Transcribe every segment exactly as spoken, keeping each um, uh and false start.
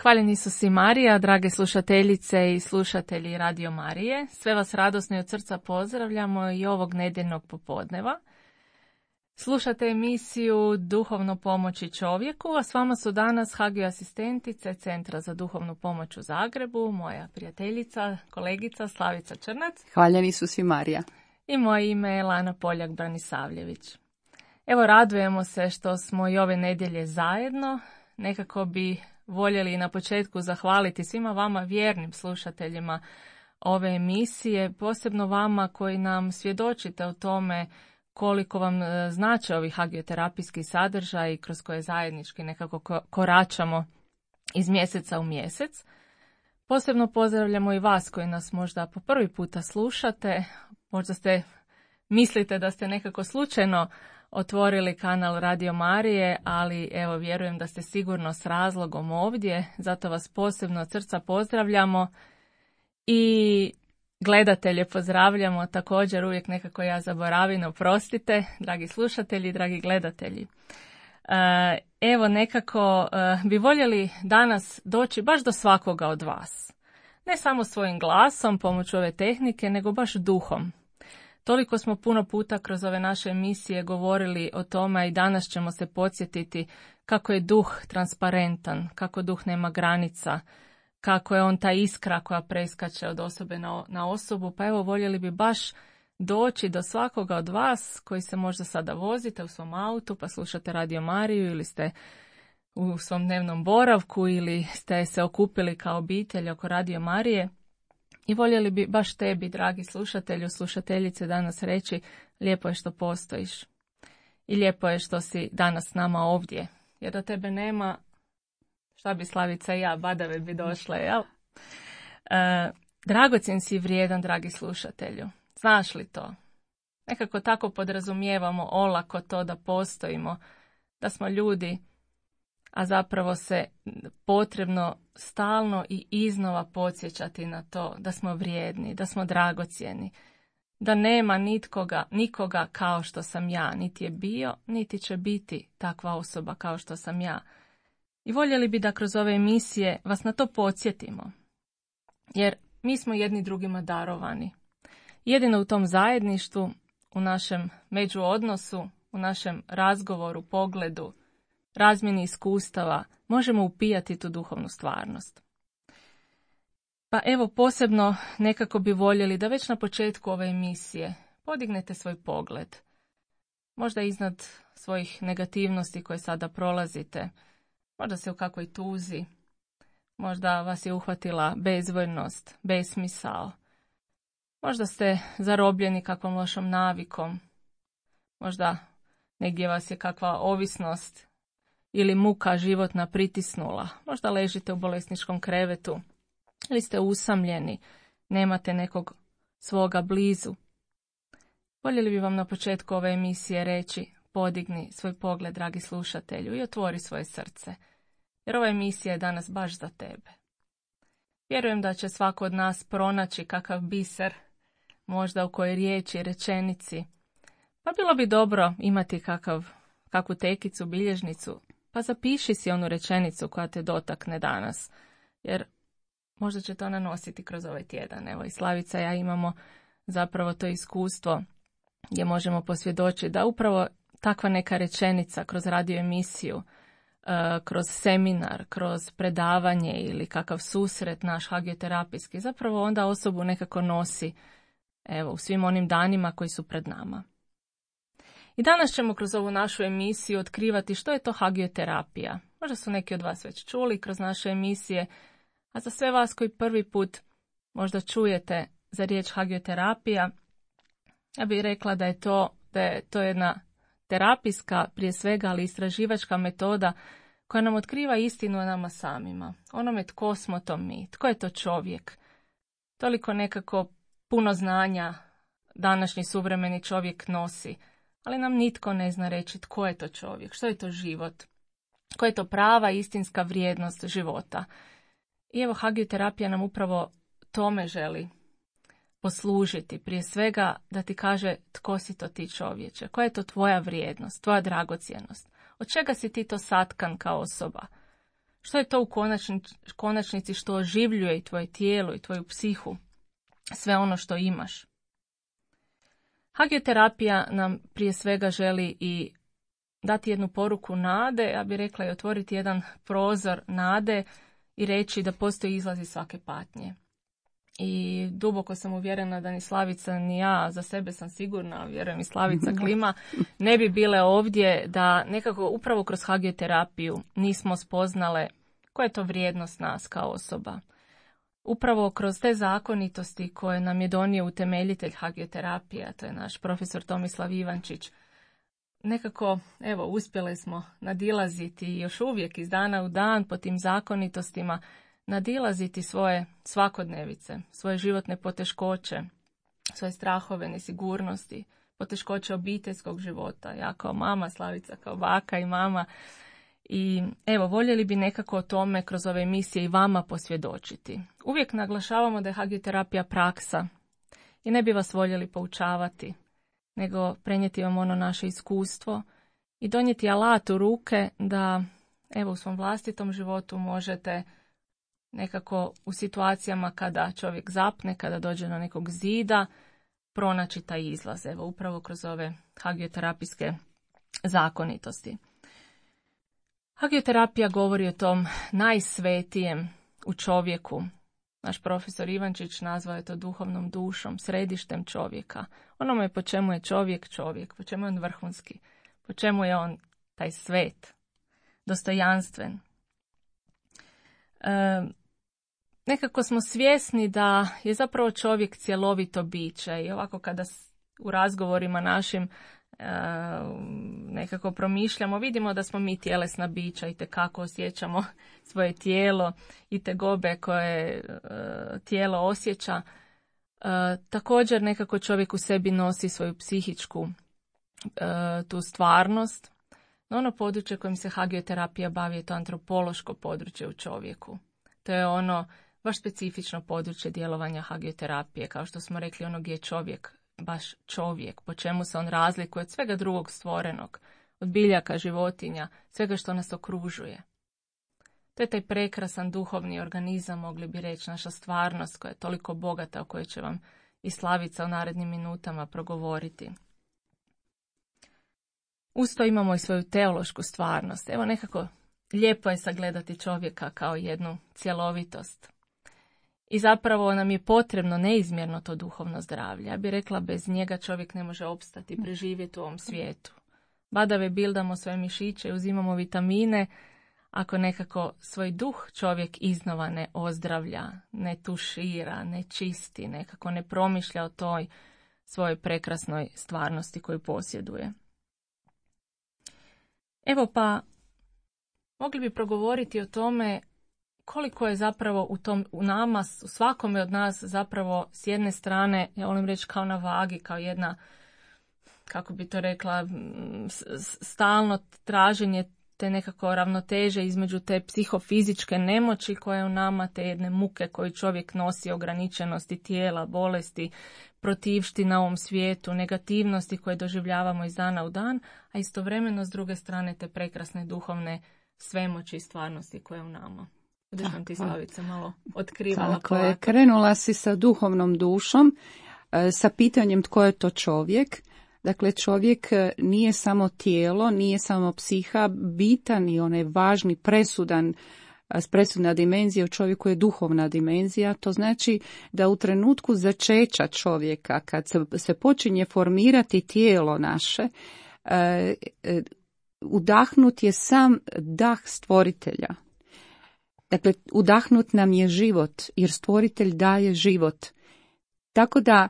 Hvaljeni su si Marija, drage slušateljice i slušatelji Radio Marije. Sve vas radosno i od srca pozdravljamo i ovog nedjeljnog popodneva. Slušate emisiju Duhovno pomoći čovjeku, a s vama su danas Hagio asistentice Centra za duhovnu pomoć u Zagrebu, moja prijateljica, kolegica Slavica Črnac. Hvaljeni su si Marija. I moje ime je Lana Poljak-Branisavljević. Evo, radujemo se što smo i ove nedjelje zajedno. Nekako bi voljeli na početku zahvaliti svima vama vjernim slušateljima ove emisije, posebno vama koji nam svjedočite o tome koliko vam znače ovi hagioterapijski sadržaji kroz koje zajednički nekako koračamo iz mjeseca u mjesec. Posebno pozdravljamo i vas koji nas možda po prvi puta slušate, možda ste mislite da ste nekako slučajno otvorili kanal Radio Marije, ali evo vjerujem da ste sigurno s razlogom ovdje, zato vas posebno od srca pozdravljamo i gledatelje pozdravljamo također, uvijek nekako ja zaboravim, oprostite, dragi slušatelji, dragi gledatelji. Evo nekako bi voljeli danas doći baš do svakoga od vas. Ne samo svojim glasom, pomoću ove tehnike, nego baš duhom. Toliko smo puno puta kroz ove naše emisije govorili o tome i danas ćemo se podsjetiti kako je duh transparentan, kako duh nema granica, kako je on ta iskra koja preskače od osobe na, na osobu. Pa evo, voljeli bi baš doći do svakoga od vas koji se možda sada vozite u svom autu pa slušate Radio Mariju ili ste u svom dnevnom boravku ili ste se okupili kao obitelj oko Radio Marije. I voljeli bi baš tebi, dragi slušatelju, slušateljice, danas reći lijepo je što postojiš. I lijepo je što si danas s nama ovdje. Jer da tebe nema, šta bi Slavica i ja, badave bi došle, jel? E, dragocjen si i vrijedan, dragi slušatelju. Znaš li to? Nekako tako podrazumijevamo olako to da postojimo, da smo ljudi, a zapravo se potrebno stalno i iznova podsjećati na to da smo vrijedni, da smo dragocjeni, da nema nitkoga, nikoga kao što sam ja, niti je bio, niti će biti takva osoba kao što sam ja. I voljeli bi da kroz ove emisije vas na to podsjetimo, jer mi smo jedni drugima darovani. Jedino u tom zajedništvu, u našem međuodnosu, u našem razgovoru, pogledu, razmjeni iskustava, možemo upijati tu duhovnu stvarnost. Pa evo, posebno nekako bi voljeli da već na početku ove emisije podignete svoj pogled. Možda iznad svojih negativnosti koje sada prolazite, možda se u kakvoj tuzi, možda vas je uhvatila bezvoljnost, besmisao, možda ste zarobljeni kakvom lošom navikom, možda negdje vas je kakva ovisnost ili muka životna pritisnula, možda ležite u bolesničkom krevetu ili ste usamljeni, nemate nekog svoga blizu. Voljeli bi vam na početku ove emisije reći, podigni svoj pogled, dragi slušatelju, i otvori svoje srce, jer ova emisija je danas baš za tebe. Vjerujem da će svako od nas pronaći kakav biser, možda u kojoj riječi, rečenici, pa bilo bi dobro imati kakav, kakvu tekicu, bilježnicu, pa zapiši si onu rečenicu koja te dotakne danas, jer možda će to nanositi kroz ovaj tjedan. Evo i Slavica i ja imamo zapravo to iskustvo gdje možemo posvjedočiti da upravo takva neka rečenica kroz radio emisiju, kroz seminar, kroz predavanje ili kakav susret naš hagioterapijski, zapravo onda osobu nekako nosi evo, u svim onim danima koji su pred nama. I danas ćemo kroz ovu našu emisiju otkrivati što je to hagioterapija. Možda su neki od vas već čuli kroz naše emisije, a za sve vas koji prvi put možda čujete za riječ hagioterapija, ja bih rekla da je to, da je to jedna terapijska, prije svega, ali istraživačka metoda koja nam otkriva istinu o nama samima. Onome tko smo to mi, tko je to čovjek. Toliko nekako puno znanja današnji suvremeni čovjek nosi, ali nam nitko ne zna reći tko je to čovjek, što je to život, koja je to prava istinska vrijednost života. I evo, hagioterapija nam upravo tome želi poslužiti, prije svega da ti kaže tko si to ti čovječe, koja je to tvoja vrijednost, tvoja dragocjenost, od čega si ti to satkan kao osoba, Što je to u konačnici, konačnici što oživljuje i tvoje tijelo i tvoju psihu, sve ono što imaš. Hagioterapija nam prije svega želi i dati jednu poruku nade, ja bih rekla i otvoriti jedan prozor nade i reći da postoji izlaz iz svake patnje. I duboko sam uvjerena da ni Slavica ni ja, za sebe sam sigurna, vjerujem i Slavica Klima, ne bi bile ovdje da nekako upravo kroz hagioterapiju nismo spoznale koja je to vrijednost nas kao osoba. Upravo kroz te zakonitosti koje nam je donio utemeljitelj hagioterapije, a to je naš profesor Tomislav Ivančić, nekako, evo, uspjeli smo nadilaziti još uvijek iz dana u dan po tim zakonitostima, nadilaziti svoje svakodnevice, svoje životne poteškoće, svoje strahove, nesigurnosti, poteškoće obiteljskog života. Ja kao mama, Slavica kao baka i mama. I evo, voljeli bi nekako o tome kroz ove emisije i vama posvjedočiti. Uvijek naglašavamo da je hagioterapija praksa i ne bi vas voljeli poučavati, nego prenijeti vam ono naše iskustvo i donijeti alat u ruke da, evo, u svom vlastitom životu možete nekako u situacijama kada čovjek zapne, kada dođe do nekog zida, pronaći taj izlaz, evo, upravo kroz ove hagioterapijske zakonitosti. Hagioterapija govori o tom najsvetijem u čovjeku. Naš profesor Ivančić nazvao je to duhovnom dušom, središtem čovjeka. Onome po čemu je čovjek čovjek, po čemu je on vrhunski, po čemu je on taj svet, dostojanstven. E, nekako smo svjesni da je zapravo čovjek cjelovito biće i ovako kada u razgovorima našim e, nekako promišljamo, vidimo da smo mi tjelesna bića i tekako osjećamo svoje tijelo i tegobe koje e, tijelo osjeća. E, također nekako čovjek u sebi nosi svoju psihičku e, tu stvarnost. No ono područje kojim se hagioterapija bavi je to antropološko područje u čovjeku. To je ono baš specifično područje djelovanja hagioterapije, kao što smo rekli, ono gdje je čovjek baš čovjek, po čemu se on razlikuje od svega drugog stvorenog, od biljaka, životinja, svega što nas okružuje. To je taj prekrasan duhovni organizam, mogli bi reći, naša stvarnost koja je toliko bogata, o kojoj će vam i Slavica u narednim minutama progovoriti. Uz to imamo i svoju teološku stvarnost. Evo, nekako lijepo je sagledati čovjeka kao jednu cjelovitost. I zapravo nam je potrebno neizmjerno to duhovno zdravlje. Ja bih rekla, bez njega čovjek ne može opstati i preživjeti u ovom svijetu. Badave bildamo svoje mišiće, uzimamo vitamine, ako nekako svoj duh čovjek iznova ne ozdravlja, ne tušira, ne čisti, nekako ne promišlja o toj svojoj prekrasnoj stvarnosti koju posjeduje. Evo pa, mogli bi progovoriti o tome koliko je zapravo u, tom, u nama, u svakome od nas zapravo s jedne strane, ja volim reći kao na vagi, kao jedna, kako bi to rekla, stalno traženje te nekako ravnoteže između te psihofizičke nemoći koja je u nama, te jedne muke koju čovjek nosi, ograničenosti tijela, bolesti, protivština na ovom svijetu, negativnosti koje doživljavamo iz dana u dan, a istovremeno s druge strane te prekrasne duhovne svemoći i stvarnosti koje je u nama. Budeš nam ti, Slavica, malo otkrivala. Tako je, krenula si sa duhovnom dušom, sa pitanjem tko je to čovjek. Dakle, čovjek nije samo tijelo, nije samo psiha, bitan i onaj važni, presudan, presudna dimenzija u čovjeku je duhovna dimenzija. To znači da u trenutku začeća čovjeka, kad se, se počinje formirati tijelo naše, eh, eh, udahnut je sam dah stvoritelja. Dakle, udahnut nam je život, jer stvoritelj daje život. Tako da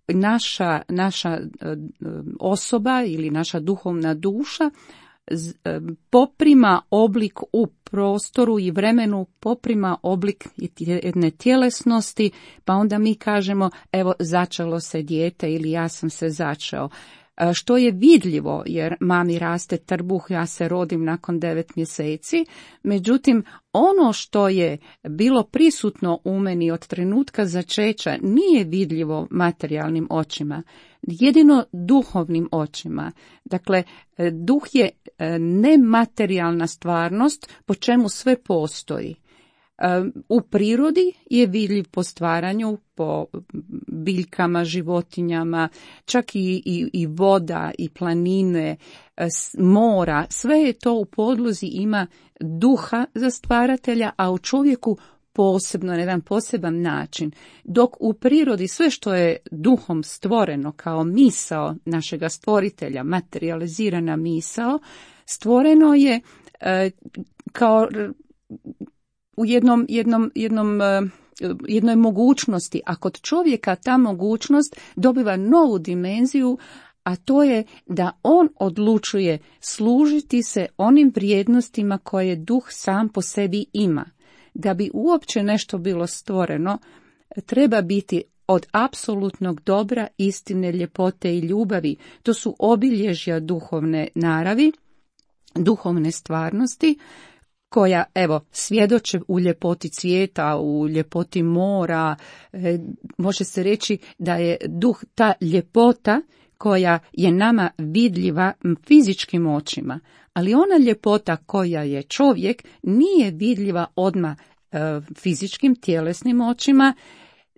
naša, naša osoba ili naša duhovna duša poprima oblik u prostoru i vremenu, poprima oblik jedne tjelesnosti, pa onda mi kažemo, evo, začelo se dijete ili ja sam se začeo. Što je vidljivo, jer mami raste trbuh, ja se rodim nakon devet mjeseci, međutim ono što je bilo prisutno u meni od trenutka začeća nije vidljivo materijalnim očima. jedino duhovnim očima. Dakle, duh je nematerijalna stvarnost po čemu sve postoji. U prirodi je vidljiv po stvaranju, po biljkama, životinjama, čak i, i, i voda, i planine, mora, sve je to u podlozi, ima duha za stvaratelja, a u čovjeku posebno, na jedan poseban način. Dok u prirodi sve što je duhom stvoreno kao misao našega stvoritelja, materializirana misao, stvoreno je e, kao u jednom, jednom, jednom, jednoj mogućnosti, a kod čovjeka ta mogućnost dobiva novu dimenziju, a to je da on odlučuje služiti se onim vrijednostima koje duh sam po sebi ima. Da bi uopće nešto bilo stvoreno, treba biti od apsolutnog dobra, istine, ljepote i ljubavi. To su obilježja duhovne naravi, duhovne stvarnosti, koja, evo, svjedoče u ljepoti cvijeta, u ljepoti mora. E, može se reći da je duh ta ljepota koja je nama vidljiva fizičkim očima, ali ona ljepota koja je čovjek nije vidljiva odmah e, fizičkim, tjelesnim očima,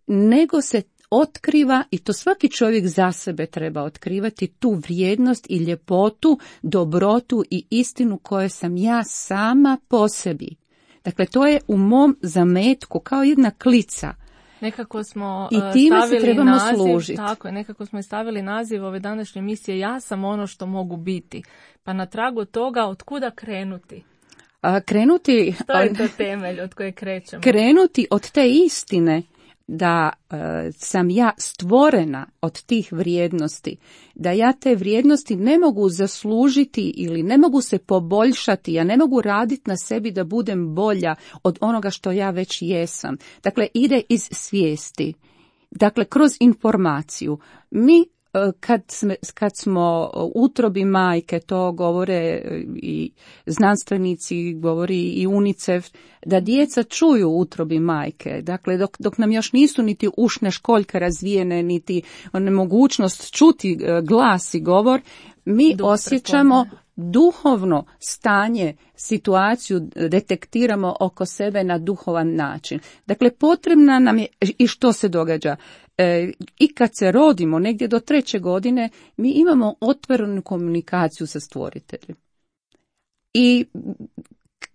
nego se otkriva, i to svaki čovjek za sebe treba otkrivati, tu vrijednost i ljepotu, dobrotu i istinu koje sam ja sama po sebi. Dakle, to je u mom zametku kao jedna klica. Nekako smo I time stavili se trebamo naziv, služiti. tako je, nekako smo stavili naziv ove današnje emisije Ja sam ono što mogu biti. Pa na tragu toga otkuda krenuti? A, krenuti... To je to temelj od koje krećemo. Krenuti od te istine da e, sam ja stvorena od tih vrijednosti, da ja te vrijednosti ne mogu zaslužiti ili ne mogu se poboljšati, ja ne mogu raditi na sebi da budem bolja od onoga što ja već jesam. Dakle, ide iz svijesti. Dakle, kroz informaciju. Mi Kad, sme, kad smo u utrobi majke, to govore i znanstvenici, govori i UNICEF, da djeca čuju u utrobi majke. Dakle, dok, dok nam još nisu niti ušne školjke razvijene, niti mogućnost čuti glas i govor, mi Duh osjećamo prepoznaje. Duhovno stanje, situaciju detektiramo oko sebe na duhovan način. Dakle, potrebna nam je, i što se događa? E, I kad se rodimo, negdje do treće godine, mi imamo otvorenu komunikaciju sa stvoriteljem. I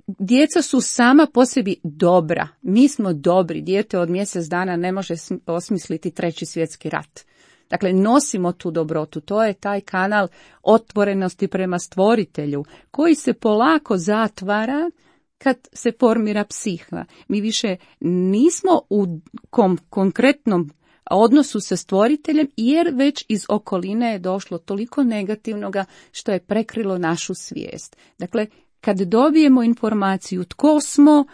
djeca su sama po sebi dobra. Mi smo dobri. Dijete od mjesec dana ne može osmisliti treći svjetski rat. Dakle, nosimo tu dobrotu. To je taj kanal otvorenosti prema stvoritelju, koji se polako zatvara kad se formira psiha. Mi više nismo u kom konkretnom odnosu sa stvoriteljem, jer već iz okoline je došlo toliko negativnoga što je prekrilo našu svijest. Dakle, kad dobijemo informaciju tko smo,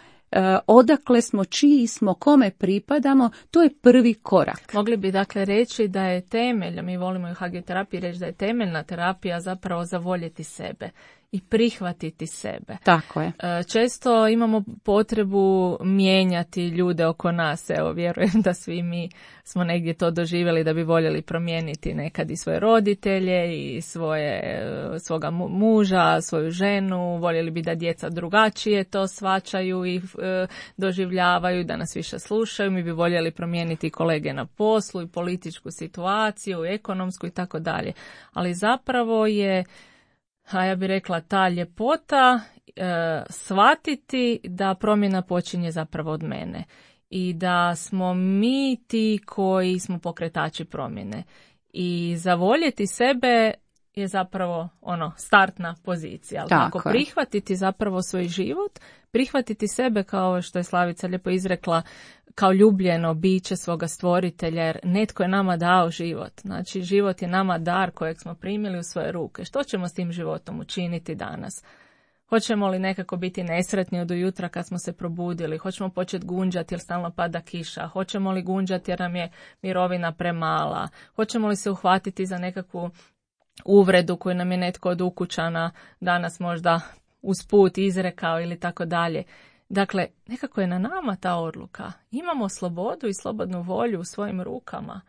odakle smo, čiji smo, kome pripadamo, to je prvi korak. Mogli bi dakle reći da je temelj, mi volimo i u hagioterapiji reći da je temeljna terapija zapravo zavoljeti sebe i prihvatiti sebe. Tako je. Često imamo potrebu mijenjati ljude oko nas. Evo, vjerujem da svi mi smo negdje to doživjeli da bi voljeli promijeniti nekad i svoje roditelje i svoje, svoga muža, svoju ženu. Voljeli bi da djeca drugačije to shvaćaju i e, doživljavaju, da nas više slušaju. Mi bi voljeli promijeniti kolege na poslu i političku situaciju, ekonomsku i tako dalje. Ali zapravo je, a ja bih rekla, ta ljepota e, shvatiti da promjena počinje zapravo od mene i da smo mi ti koji smo pokretači promjene. I zavoljeti sebe je zapravo ono startna pozicija. Ali tako ako prihvatiti zapravo svoj život, prihvatiti sebe kao što je Slavica lijepo izrekla, kao ljubljeno biće svoga stvoritelja, jer netko je nama dao život. Znači, život je nama dar kojeg smo primili u svoje ruke. Što ćemo s tim životom učiniti danas? Hoćemo li nekako biti nesretni od ujutra kad smo se probudili? Hoćemo početi gunđati jer stalno pada kiša? Hoćemo li gunđati jer nam je mirovina premala? Hoćemo li se uhvatiti za nekakvu uvredu koju nam je netko od ukućana danas možda usput izrekao ili tako dalje? Dakle, nekako je na nama ta odluka. Imamo slobodu i slobodnu volju u svojim rukama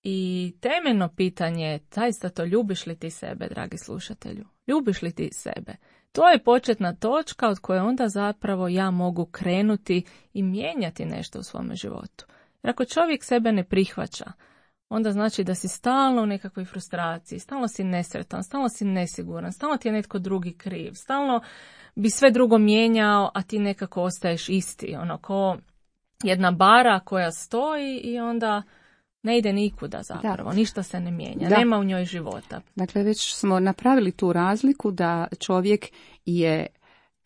I temeljno pitanje je, zaista to, ljubiš li ti sebe, dragi slušatelju? Ljubiš li ti sebe? To je početna točka od koje onda zapravo ja mogu krenuti i mijenjati nešto u svome životu. Jer ako čovjek sebe ne prihvaća, onda znači da si stalno u nekakvoj frustraciji, stalno si nesretan, stalno si nesiguran, stalno ti je netko drugi kriv, stalno bi sve drugo mijenjao, a ti nekako ostaješ isti. Ono, ko jedna bara koja stoji i onda ne ide nikuda zapravo, da. Ništa se ne mijenja, da. Nema u njoj života. Dakle, već smo napravili tu razliku da čovjek je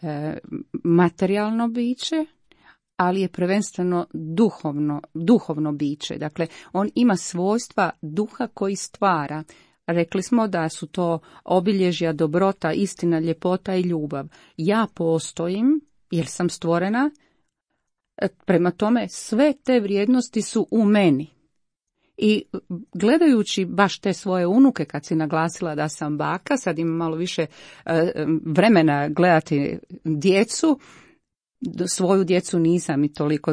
e, materijalno biće, ali je prvenstveno duhovno, duhovno biće. Dakle, on ima svojstva duha koji stvara. Rekli smo da su to obilježja dobrota, istina, ljepota i ljubav. Ja postojim jer sam stvorena, prema tome sve te vrijednosti su u meni. I gledajući baš te svoje unuke, kad si naglasila da sam baka, sad imam malo više vremena gledati djecu, svoju djecu nisam i toliko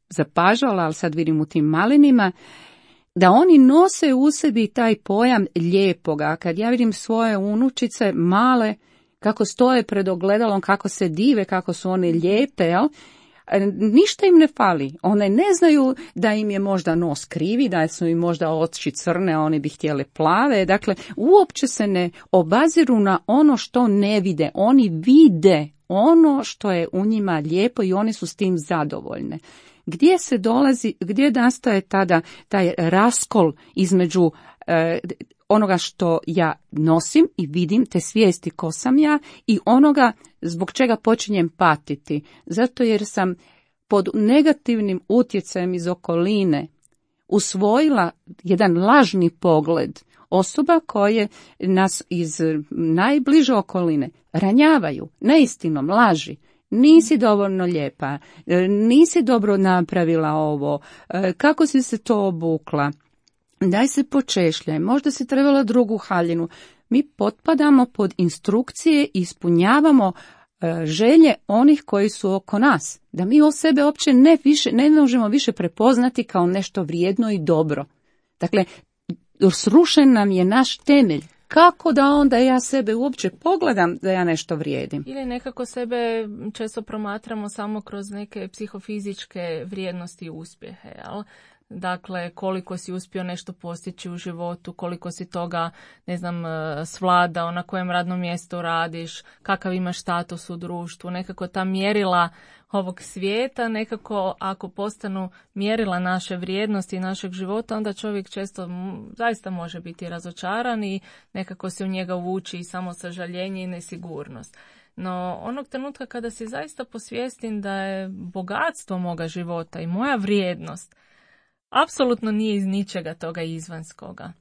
zapažala, ali sad vidim u tim malinima, da oni nose u sebi taj pojam lijepoga. Kad ja vidim svoje unučice male, kako stoje pred ogledalom, kako se dive, kako su one lijepe, jel? Ništa im ne fali. One ne znaju da im je možda nos krivi, da su im možda oči crne, a oni bi htjele plave. Dakle, uopće se ne obaziru na ono što ne vide. Oni vide ono što je u njima lijepo i oni su s tim zadovoljne. Gdje se dolazi, gdje nastaje tada taj raskol između e, onoga što ja nosim i vidim, te svijesti ko sam ja, i onoga zbog čega počinjem patiti. Zato jer sam pod negativnim utjecajem iz okoline usvojila jedan lažni pogled osoba koje nas iz najbliže okoline ranjavaju neistinom, laži. Nisi dovoljno lijepa, nisi dobro napravila ovo, kako si se to obukla, daj se počešljaj, možda si trebala drugu haljinu. Mi potpadamo pod instrukcije i ispunjavamo želje onih koji su oko nas, da mi o sebe uopće ne, više, ne možemo više prepoznati kao nešto vrijedno i dobro. Dakle, srušen nam je naš temelj. Kako da onda ja sebe uopće pogledam da ja nešto vrijedim? Ili nekako sebe često promatramo samo kroz neke psihofizičke vrijednosti i uspjehe, jel? Dakle, koliko si uspio nešto postići u životu, koliko si toga, ne znam, svladao, na kojem radnom mjestu radiš, kakav imaš status u društvu, nekako ta mjerila ovog svijeta, nekako ako postanu mjerila naše vrijednosti i našeg života, onda čovjek često zaista može biti razočaran i nekako se u njega uvuči i samo sažaljenje i nesigurnost. No, onog trenutka kada si zaista posvjestim da je bogatstvo moga života i moja vrijednost apsolutno nije iz ničega toga izvanjskoga,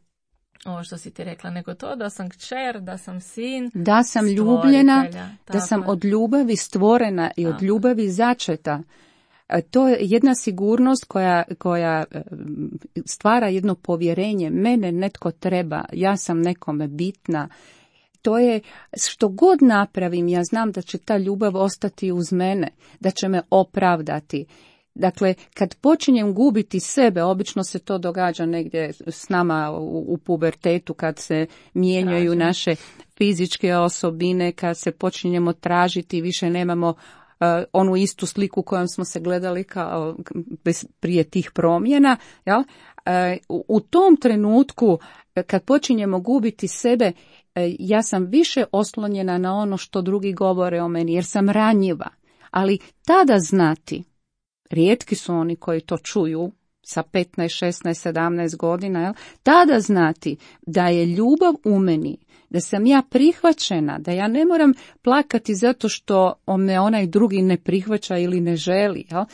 ovo što si ti rekla, nego to da sam kćer, da sam sin, da sam ljubljena, da sam od ljubavi stvorena i od ljubavi začeta. To je jedna sigurnost koja, koja stvara jedno povjerenje. Mene netko treba, ja sam nekome bitna. To je, što god napravim, ja znam da će ta ljubav ostati uz mene, da će me opravdati. Dakle, kad počinjem gubiti sebe, obično se to događa negdje s nama u, u pubertetu, kad se mijenjaju Tražim. naše fizičke osobine, kad se počinjemo tražiti, više nemamo uh, onu istu sliku kojom smo se gledali kao bez, prije tih promjena. Jel? Uh, u tom trenutku, kad počinjemo gubiti sebe, uh, ja sam više oslonjena na ono što drugi govore o meni, jer sam ranjiva. Ali tada znati, rijetki su oni koji to čuju sa petnaest, šesnaest, sedamnaest godina, jel? Tada znati da je ljubav u meni, da sam ja prihvaćena, da ja ne moram plakati zato što me onaj drugi ne prihvaća ili ne želi. Jel?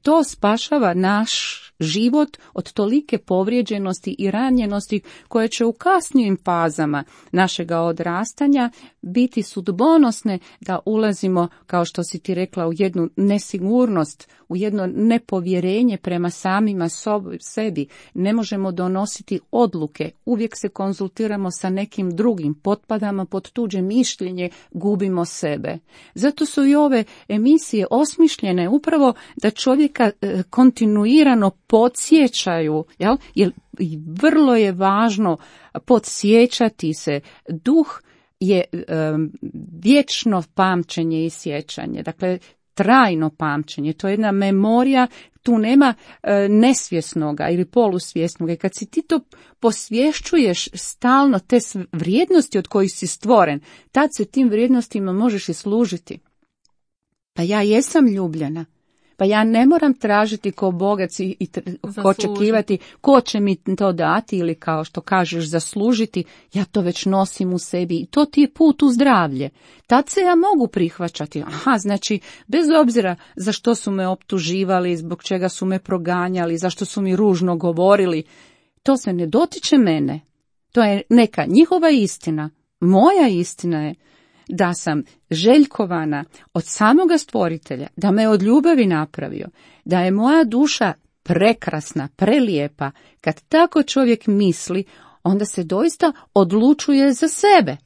To spašava naš život od tolike povrijeđenosti i ranjenosti koje će u kasnijim fazama našega odrastanja biti sudbonosne, da ulazimo, kao što si ti rekla, u jednu nesigurnost, u jedno nepovjerenje prema samima sobi, sebi. Ne možemo donositi odluke, uvijek se konzultiramo sa nekim drugim, potpadamo pod tuđe mišljenje, gubimo sebe. Zato su i ove emisije osmišljene upravo da čovjeka e, kontinuirano podsjećaju, jel? Jer vrlo je važno podsjećati se. Duh je e, vječno pamćenje i sjećanje, dakle trajno pamćenje, to je jedna memorija, tu nema e, nesvjesnoga ili polusvjesnoga. I kad si ti to posvješćuješ stalno, te vrijednosti od kojih si stvoren, tad se tim vrijednostima možeš i služiti. Pa ja jesam ljubljena. Pa ja ne moram tražiti ko bogac i, i očekivati ko će mi to dati ili kao što kažeš zaslužiti. Ja to već nosim u sebi i to ti je put u zdravlje. Tad se ja mogu prihvaćati. Aha, znači bez obzira za što su me optuživali, zbog čega su me proganjali, zašto su mi ružno govorili, to se ne dotiče mene. To je neka njihova istina. Moja istina je da sam željkovana od samoga stvoritelja, da me od ljubavi napravio, da je moja duša prekrasna, prelijepa. Kad tako čovjek misli, onda se doista odlučuje za sebe.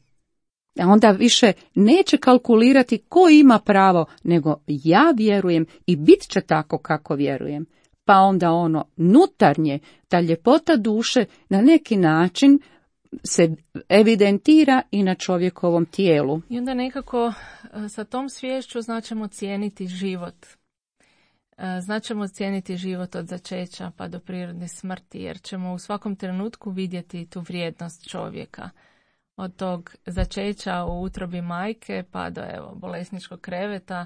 Onda više neće kalkulirati ko ima pravo, nego ja vjerujem i bit će tako kako vjerujem. Pa onda ono nutarnje, ta ljepota duše na neki način se evidentira i na čovjekovom tijelu. I onda nekako sa tom sviješću značimo cijeniti život. Značimo cijeniti život od začeća pa do prirodne smrti, jer ćemo u svakom trenutku vidjeti tu vrijednost čovjeka. Od tog začeća u utrobi majke pa do evo, bolesničkog kreveta,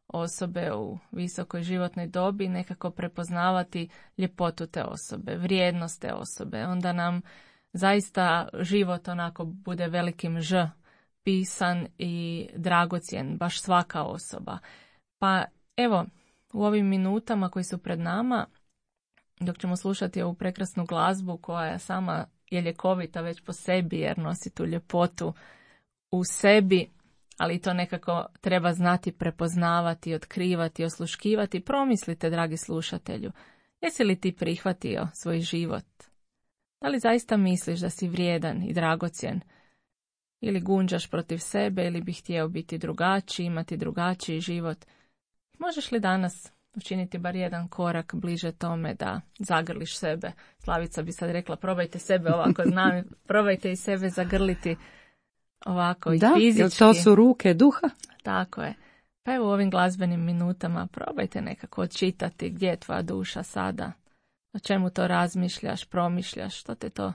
osobe u visokoj životnoj dobi, nekako prepoznavati ljepotu te osobe, vrijednost te osobe. Onda nam zaista život onako bude velikim ž, pisan i dragocjen, baš svaka osoba. Pa evo, u ovim minutama koji su pred nama, dok ćemo slušati ovu prekrasnu glazbu koja sama je ljekovita već po sebi jer nosi tu ljepotu u sebi, ali to nekako treba znati prepoznavati, otkrivati, osluškivati. Promislite, dragi slušatelju, jesi li ti prihvatio svoj život? Da li zaista misliš da si vrijedan i dragocjen? Ili gunđaš protiv sebe ili bi htio biti drugačiji, imati drugačiji život? Možeš li danas učiniti bar jedan korak bliže tome da zagrliš sebe? Slavica bi sad rekla, probajte sebe ovako, znam, probajte i sebe zagrliti ovako i da, fizički. Da, to su ruke duha. Tako je. Pa evo u ovim glazbenim minutama probajte nekako odčitati gdje je tvoja duša sada. O čemu to razmišljaš, promišljaš, što te to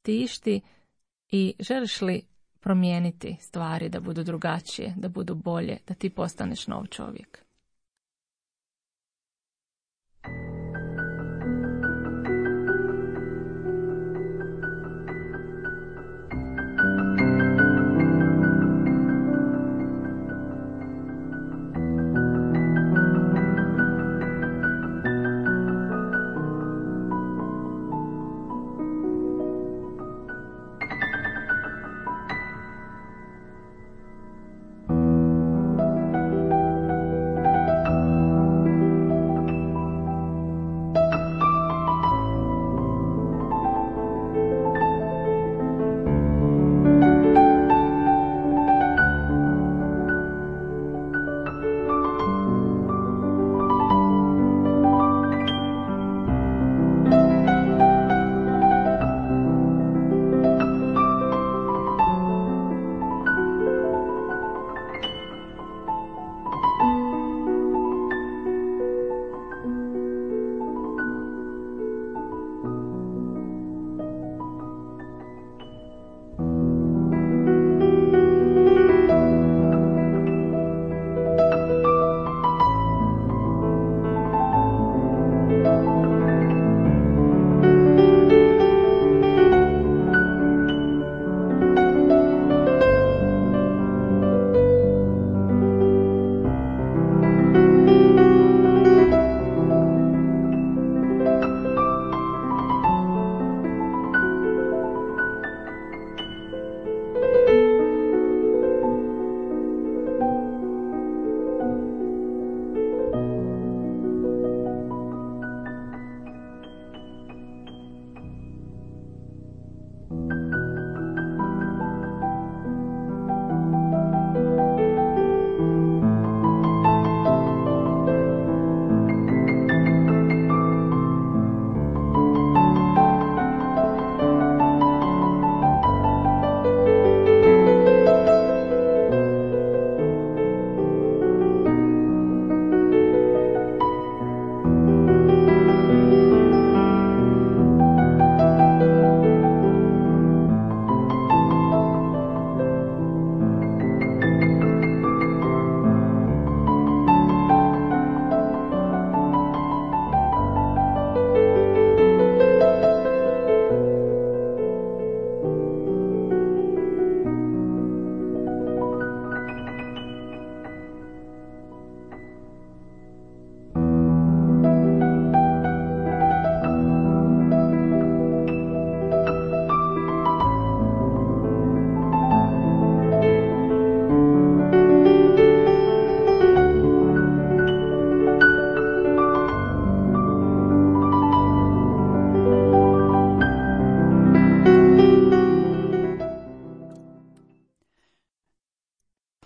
tišti i želiš li promijeniti stvari da budu drugačije, da budu bolje, da ti postaneš nov čovjek.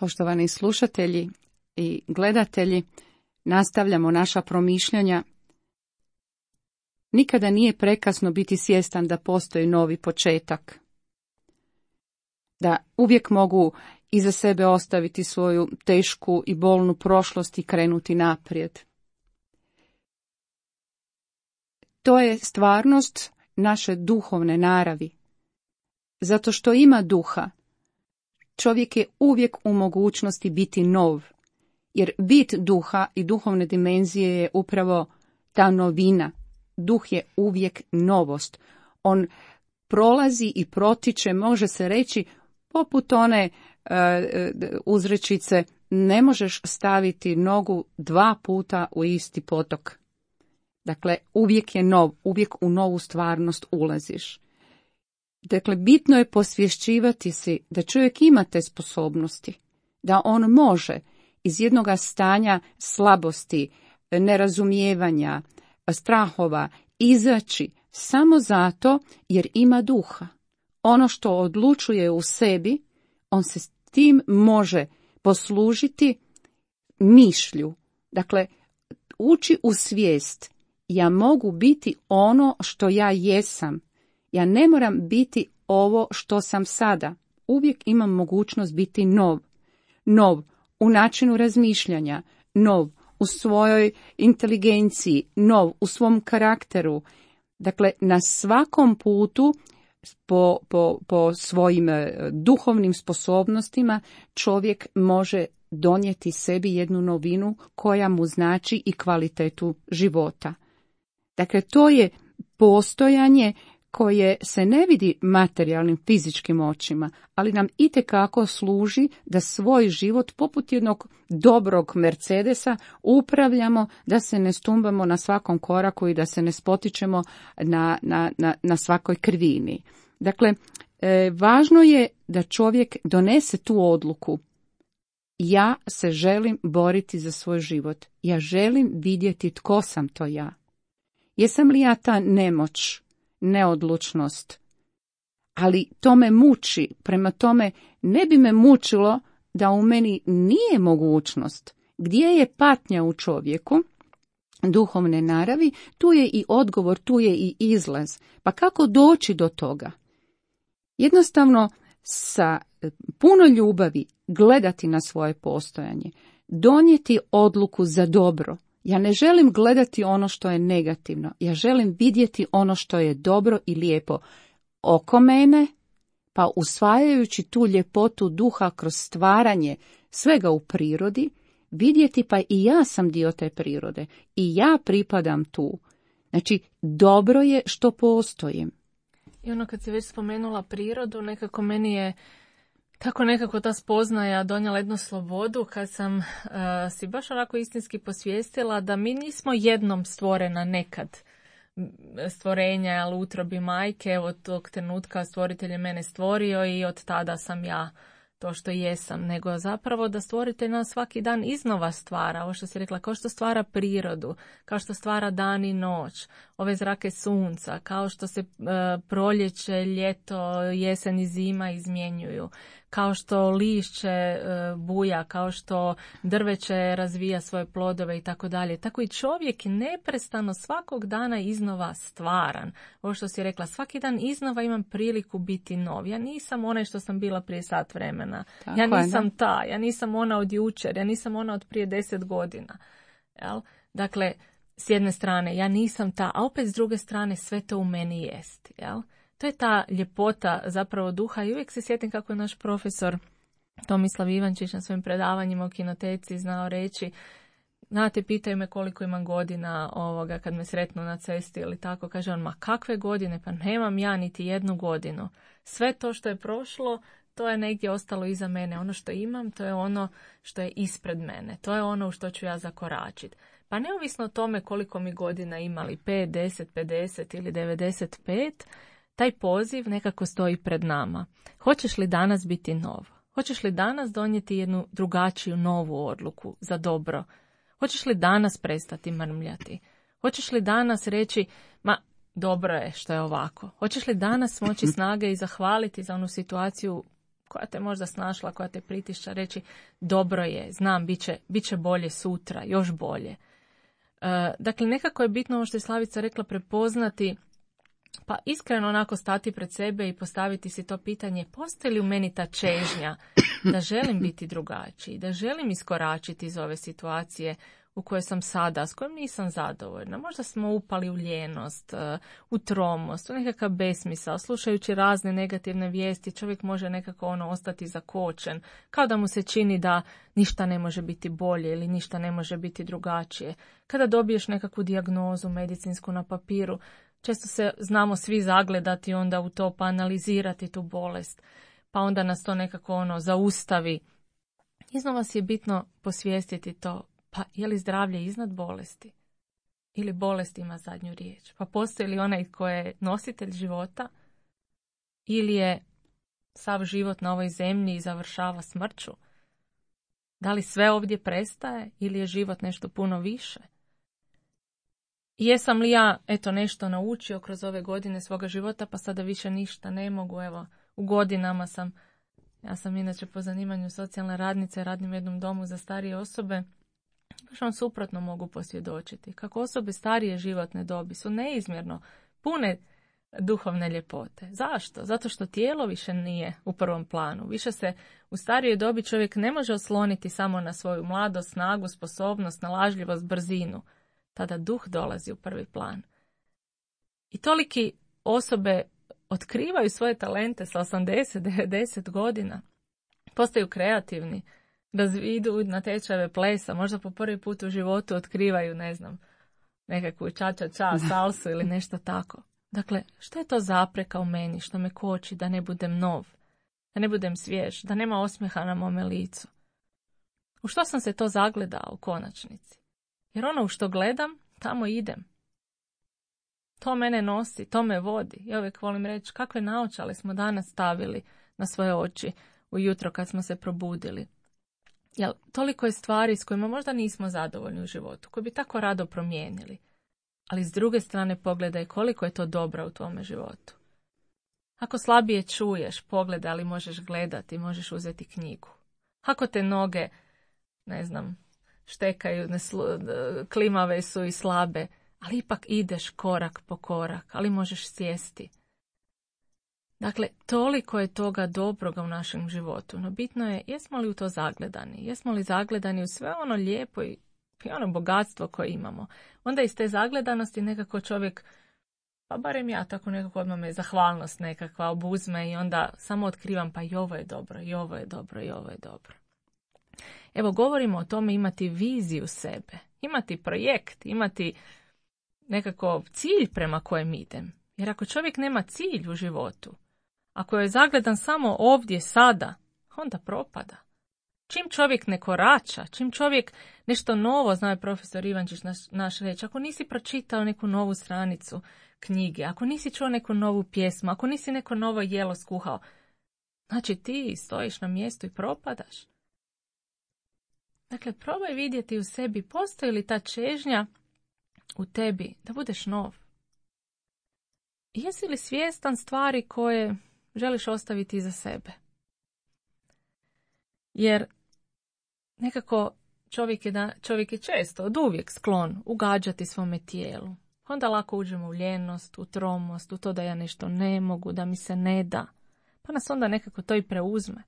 Poštovani slušatelji i gledatelji, nastavljamo naša promišljanja. Nikada nije prekasno biti svjestan da postoji novi početak. Da uvijek mogu iza sebe ostaviti svoju tešku i bolnu prošlost i krenuti naprijed. To je stvarnost naše duhovne naravi. Zato što ima duha, čovjek je uvijek u mogućnosti biti nov, jer bit duha i duhovne dimenzije je upravo ta novina. Duh je uvijek novost. On prolazi i protiče, može se reći, poput one uh, uzrečice, ne možeš staviti nogu dva puta u isti potok. Dakle, uvijek je nov, uvijek u novu stvarnost ulaziš. Dakle, bitno je posvješćivati si da čovjek ima te sposobnosti, da on može iz jednog stanja slabosti, nerazumijevanja, strahova izaći samo zato jer ima duha. Ono što odlučuje u sebi, on se s tim može poslužiti mišlju. Dakle, uči u svijest, ja mogu biti ono što ja jesam. Ja ne moram biti ovo što sam sada. Uvijek imam mogućnost biti nov. Nov u načinu razmišljanja, nov u svojoj inteligenciji, nov u svom karakteru. Dakle, na svakom putu po, po, po svojim duhovnim sposobnostima čovjek može donijeti sebi jednu novinu koja mu znači i kvalitetu života. Dakle, to je postojanje koje se ne vidi materijalnim fizičkim očima, ali nam itekako služi da svoj život poput jednog dobrog Mercedesa upravljamo, da se ne stumbamo na svakom koraku i da se ne spotičemo na, na, na, na svakoj krivini. Dakle, e, važno je da čovjek donese tu odluku. Ja se želim boriti za svoj život. Ja želim vidjeti tko sam to ja. Jesam li ja ta nemoć, neodlučnost? Ali to me muči, prema tome ne bi me mučilo da u meni nije mogućnost. Gdje je patnja u čovjeku, duhovne naravi, tu je i odgovor, tu je i izlaz. Pa kako doći do toga? Jednostavno sa puno ljubavi gledati na svoje postojanje, donijeti odluku za dobro. Ja ne želim gledati ono što je negativno, ja želim vidjeti ono što je dobro i lijepo oko mene, pa usvajajući tu ljepotu duha kroz stvaranje svega u prirodi, vidjeti pa i ja sam dio te prirode i ja pripadam tu. Znači, dobro je što postojim. I ono kad si već spomenula prirodu, nekako meni je tako nekako ta spoznaja donijela jednu slobodu kad sam uh, si baš onako istinski posvijestila da mi nismo jednom stvorena nekad stvorenja, ali u utrobi majke, evo tog trenutka stvoritelj je mene stvorio i od tada sam ja to što jesam, nego zapravo da stvoritelj nas svaki dan iznova stvara, ovo što si rekla, kao što stvara prirodu, kao što stvara dan i noć, ove zrake sunca, kao što se e, proljeće, ljeto, jesen i zima izmjenjuju, kao što lišće e, buja, kao što drveće razvija svoje plodove i tako dalje. Tako i čovjek neprestano svakog dana iznova stvaran. Ovo što si rekla, svaki dan iznova imam priliku biti nov. Ja nisam onaj što sam bila prije sat vremena. Tako ja nisam je, ta, ja nisam ona od jučer, ja nisam ona od prije deset godina. Jel? Dakle, s jedne strane, ja nisam ta, a opet s druge strane sve to u meni jest. Jel? To je ta ljepota zapravo duha i uvijek se sjetim kako je naš profesor Tomislav Ivančić na svojim predavanjima u kinoteci znao reći, znate, pitaju me koliko imam godina ovoga kad me sretnu na cesti ili tako, kaže on, ma kakve godine, pa nemam ja niti jednu godinu. Sve to što je prošlo, to je negdje ostalo iza mene. Ono što imam, to je ono što je ispred mene. To je ono u što ću ja zakoračiti. Pa neovisno o tome koliko mi godina imali, pet, deset, pedeset ili devedeset pet, taj poziv nekako stoji pred nama. Hoćeš li danas biti nov? Hoćeš li danas donijeti jednu drugačiju novu odluku za dobro? Hoćeš li danas prestati mrmljati? Hoćeš li danas reći, ma dobro je što je ovako? Hoćeš li danas moći snage i zahvaliti za onu situaciju koja te možda snašla, koja te pritišća, reći dobro je, znam, bit će, bit će bolje sutra, još bolje. E, dakle, nekako je bitno ovo što je Slavica rekla, prepoznati, pa iskreno onako stati pred sebe i postaviti si to pitanje, postoji li u meni ta čežnja da želim biti drugačiji, da želim iskoračiti iz ove situacije u kojoj sam sada, s kojom nisam zadovoljna. Možda smo upali u ljenost, u tromost, u nekakav besmisao. Slušajući razne negativne vijesti, čovjek može nekako ono ostati zakočen, kao da mu se čini da ništa ne može biti bolje ili ništa ne može biti drugačije. Kada dobiješ nekakvu dijagnozu medicinsku na papiru, često se znamo svi zagledati onda u to, pa analizirati tu bolest, pa onda nas to nekako ono zaustavi. Iznova si je bitno posvijestiti to, pa je li zdravlje iznad bolesti? Ili bolest ima zadnju riječ? Pa postoji li onaj ko je nositelj života? Ili je sav život na ovoj zemlji i završava smrću? Da li sve ovdje prestaje ili je život nešto puno više? I jesam li ja eto nešto naučio kroz ove godine svoga života, pa sada više ništa ne mogu, evo, u godinama sam, ja sam inače po zanimanju socijalna radnica, radim u jednom domu za starije osobe, baš vam suprotno mogu posvjedočiti. Kako osobe starije životne dobi su neizmjerno pune duhovne ljepote. Zašto? Zato što tijelo više nije u prvom planu. Više se u starijoj dobi čovjek ne može osloniti samo na svoju mladost, snagu, sposobnost, nalažljivost, brzinu. Tada duh dolazi u prvi plan. I toliki osobe otkrivaju svoje talente sa osamdeset devedeset godina. Postaju kreativni, da idu na tečajeve plesa, možda po prvi put u životu otkrivaju, ne znam, nekakvu ča-ča-ča, salsu ili nešto tako. Dakle, što je to zapreka u meni, što me koči da ne budem nov, da ne budem svjež, da nema osmijeha na mome licu? U što sam se to zagledao u konačnici? Jer ono u što gledam, tamo idem. To mene nosi, to me vodi. Ja uvijek volim reći kakve naočale smo danas stavili na svoje oči ujutro kad smo se probudili. Jel, toliko je stvari s kojima možda nismo zadovoljni u životu, koje bi tako rado promijenili. Ali s druge strane pogledaj koliko je to dobra u tvome životu. Ako slabije čuješ, pogledaj, ali možeš gledati, možeš uzeti knjigu. Ako te noge, ne znam, štekaju, neslu, klimave su i slabe, ali ipak ideš korak po korak, ali možeš sjesti. Dakle, toliko je toga dobroga u našem životu, no bitno je jesmo li u to zagledani, jesmo li zagledani u sve ono lijepo i, i ono bogatstvo koje imamo. Onda iz te zagledanosti nekako čovjek, pa barem ja tako nekako odmah me zahvalnost nekakva obuzme i onda samo otkrivam pa i ovo je dobro, i ovo je dobro, i ovo je dobro. Evo, govorimo o tome imati viziju sebe, imati projekt, imati nekako cilj prema kojem idem. Jer ako čovjek nema cilj u životu, ako je zagledan samo ovdje, sada, onda propada. Čim čovjek ne korača, čim čovjek nešto novo, zna je profesor Ivančić naš, naš reći, ako nisi pročitao neku novu stranicu knjige, ako nisi čuo neku novu pjesmu, ako nisi neko novo jelo skuhao, znači ti stojiš na mjestu i propadaš. Dakle, probaj vidjeti u sebi, postoji li ta čežnja u tebi da budeš nov. Jesi li svjestan stvari koje želiš ostaviti iza sebe? Jer nekako čovjek je, da, čovjek je često, od uvijek sklon ugađati svome tijelu. Onda lako uđemo u ljenost, u tromost, u to da ja nešto ne mogu, da mi se ne da. Pa nas onda nekako to i preuzme.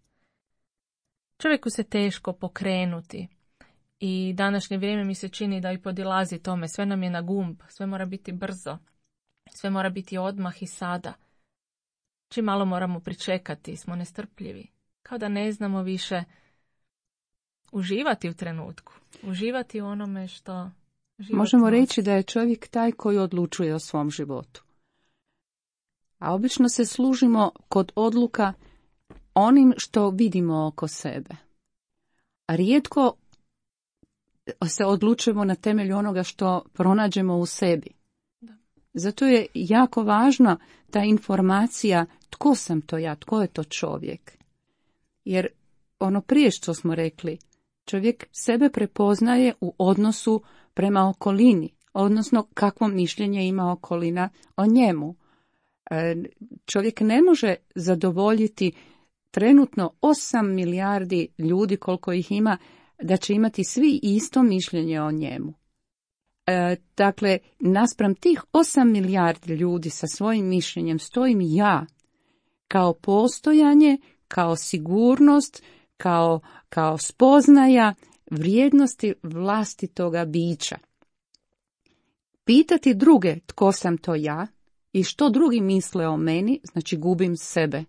Čovjeku se teško pokrenuti. I današnje vrijeme mi se čini da i podilazi tome. Sve nam je na gumb, sve mora biti brzo. Sve mora biti odmah i sada. Čim malo moramo pričekati, smo nestrpljivi. Kao da ne znamo više uživati u trenutku. Uživati u onome što život Možemo nosi. reći da je čovjek taj koji odlučuje o svom životu. A obično se služimo kod odluka onim što vidimo oko sebe. A rijetko se odlučujemo na temelju onoga što pronađemo u sebi. Zato je jako važna ta informacija tko sam to ja, tko je to čovjek. Jer ono prije što smo rekli, čovjek sebe prepoznaje u odnosu prema okolini, odnosno kakvo mišljenje ima okolina o njemu. Čovjek ne može zadovoljiti trenutno osam milijardi ljudi, koliko ih ima, da će imati svi isto mišljenje o njemu. E, dakle, naspram tih osam milijardi ljudi sa svojim mišljenjem stojim ja, kao postojanje, kao sigurnost, kao, kao spoznaja vrijednosti vlastitoga bića. Pitati druge tko sam to ja i što drugi misle o meni, znači gubim sebe.